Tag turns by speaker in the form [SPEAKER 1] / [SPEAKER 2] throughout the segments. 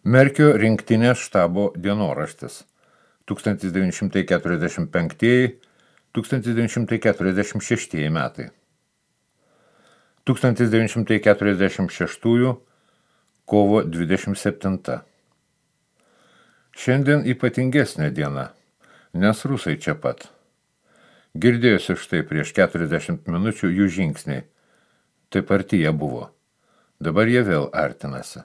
[SPEAKER 1] Merkio rinktinės štabo dienoraštis 1945–1946 metai. 1946 kovo 27. Šiandien ypatingesnė diena, nes rusai čia pat. Girdėjosi štai prieš 40 minučių jų žingsniai. Taip arti jie buvo. Dabar jie vėl artinasi.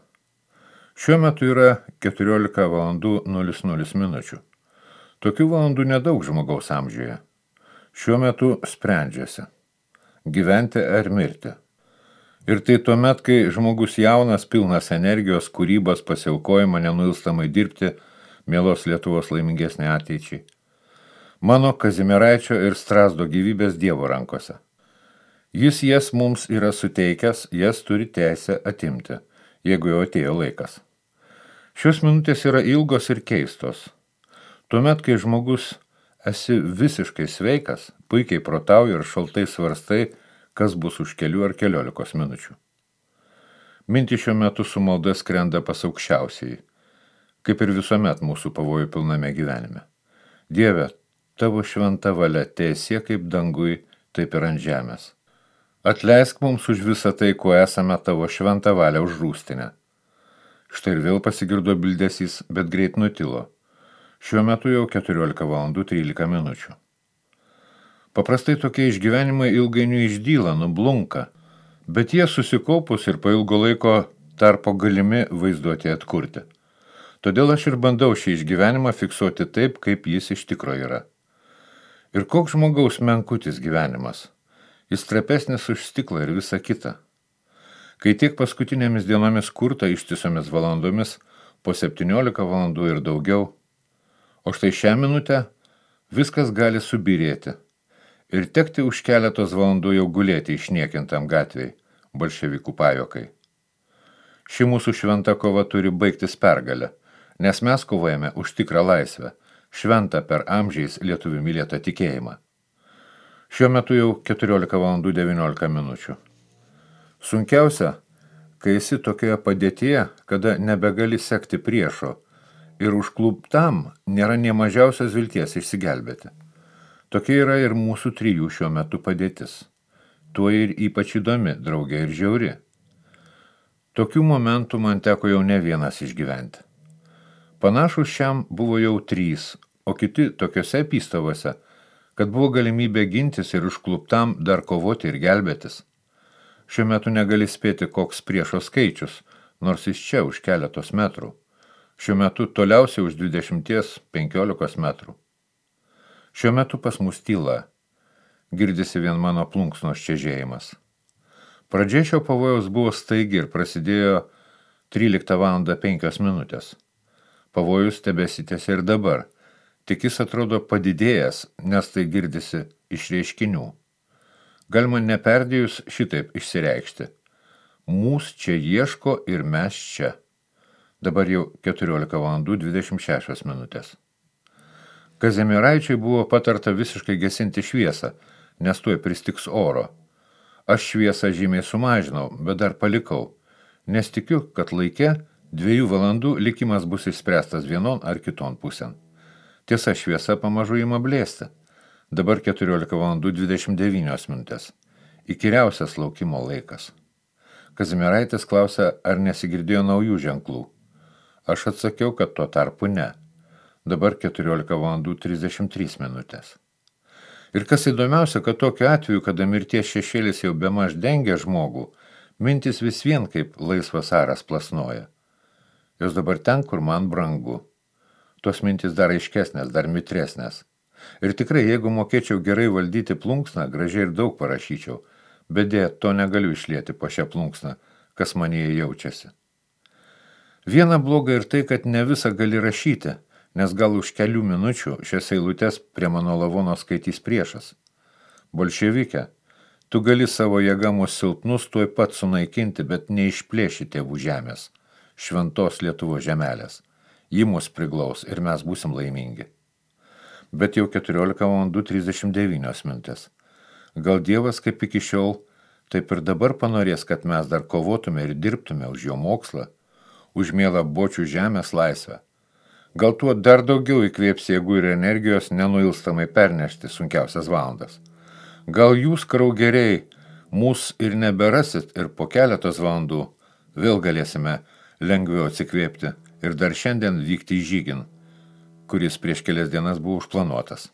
[SPEAKER 1] Šiuo metu yra 14:00. Tokių valandų nedaug žmogaus amžiuje. Šiuo metu sprendžiasi. Gyventi ar mirti. Ir tai tuomet, kai žmogus jaunas, pilnas energijos, kūrybos, pasiaukojimo, nenuilstamai dirbti, mielos Lietuvos laimingesnė ateičiai. Mano Kazimieraičio ir Strazdo gyvybės Dievo rankose. Jis jas mums yra suteikęs, jas turi teisę atimti, jeigu jau atėjo laikas. Šios minutės yra ilgos ir keistos. Tuomet, kai žmogus esi visiškai sveikas, puikiai protauji ir šaltai svarstai, kas bus už kelių ar 14 minučių. Mintys šiuo metu su malda skrenda pas aukščiausiai, kaip ir visuomet mūsų pavojų pilname gyvenime. Dieve, tavo šventa valia teesie kaip dangui, taip ir ant žemės. Atleisk mums už visą tai, kuo esame tavo šventą valią užrūstinę. Štai ir vėl pasigirdo bildesys, bet greit nutilo. Šiuo metu jau 14:13. Paprastai tokie išgyvenimai ilgainiui išdyla, nublunka, bet jie susikaupus ir po ilgo laiko tarpo galimi vaizduoti atkurti. Todėl aš ir bandau šį išgyvenimą fiksuoti taip, kaip jis iš tikro yra. Ir koks žmogaus menkutis gyvenimas. Jis trapesnis už stiklą ir visa kita. Kai tiek paskutinėmis dienomis kurta ištisomis valandomis, po 17 valandų ir daugiau, o štai šią minutę viskas gali subirėti ir tekti už keletos valandų jau gulėti išniekintam gatvei, bolševikų pajokai. Ši mūsų šventa kova turi baigtis pergalę, nes mes kovojame už tikrą laisvę, šventą per amžiais lietuvių mylėtą tikėjimą. Šiuo metu jau 14:19. Sunkiausia, kai esi tokioje padėtyje, kada nebegali sekti priešo ir užkluptam nėra nė mažiausios vilties išsigelbėti. Tokia yra ir mūsų trijų šiuo metu padėtis. Tuo ir ypač įdomi, draugė ir žiauri. Tokių momentų man teko jau ne vienas išgyventi. Panašus šiam buvo jau 3, o kiti tokiose apystavose, kad buvo galimybė gintis ir užkluptam dar kovoti ir gelbėtis. Šiuo metu negali spėti, koks priešo skaičius, nors jis čia už keletos metrų. Šiuo metu toliausiai už 20–15 metrų. Šiuo metu pas mus tyla. Girdisi vien mano plunksnos čežėjimas. Pradžia šio pavojaus buvo staigi ir prasidėjo 13:05. Pavojus tebesitęsia ir dabar. Tik jis atrodo padidėjęs, nes tai girdisi iš reiškinių. Galima neperdėjus šitaip išsireikšti. Mūs čia ieško ir mes čia. Dabar jau 14:26. Kazimieraičiui buvo patarta visiškai gesinti šviesą, nes tuoj pristiks oro. Aš šviesą žymiai sumažinau, bet dar palikau, nes tikiu, kad laike 2 valandų likimas bus išspręstas vienon ar kiton pusėn. Tiesa, šviesa pamažu ima blėsti. Dabar 14:29. Įkyriausias laukimo laikas. Kazimieraitis klausia, ar nesigirdėjo naujų ženklų. Aš atsakiau, kad tuo tarpu ne. Dabar 14:33. Ir kas įdomiausia, kad tokiu atveju, kada mirties šešėlis jau bemaž dengia žmogų, mintis vis vien kaip laisvas aras plasnoja. Jos dabar ten, kur man brangu. Tos mintis dar aiškesnės, dar mitresnės. Ir tikrai, jeigu mokėčiau gerai valdyti plunksną, gražiai ir daug parašyčiau, bet dėja, to negaliu išlieti po šią plunksną, kas manyje jaučiasi. Viena bloga ir tai, kad ne visą gali rašyti, nes gal už kelių minučių šias eilutes prie mano lavono skaitys priešas. Bolševike, tu gali savo jėga mus silpnus tuoj pat sunaikinti, bet neišplėši tėvų žemės, šventos Lietuvos žemelės. Ji mus priglaus ir mes būsim laimingi. Bet jau 14:39. Gal Dievas kaip iki šiol, taip ir dabar panorės, kad mes dar kovotume ir dirbtume už jo mokslą, už mielą bočių žemės laisvę. Gal tuo dar daugiau įkvėps jėgų ir energijos nenuilstamai pernešti sunkiausias valandas. Gal jūs, kraugeriai, mūs ir neberasit ir po keletos valandų vėl galėsime lengviau atsikvėpti ir dar šiandien vykti į žygin, kuris prieš kelias dienas buvo užplanuotas.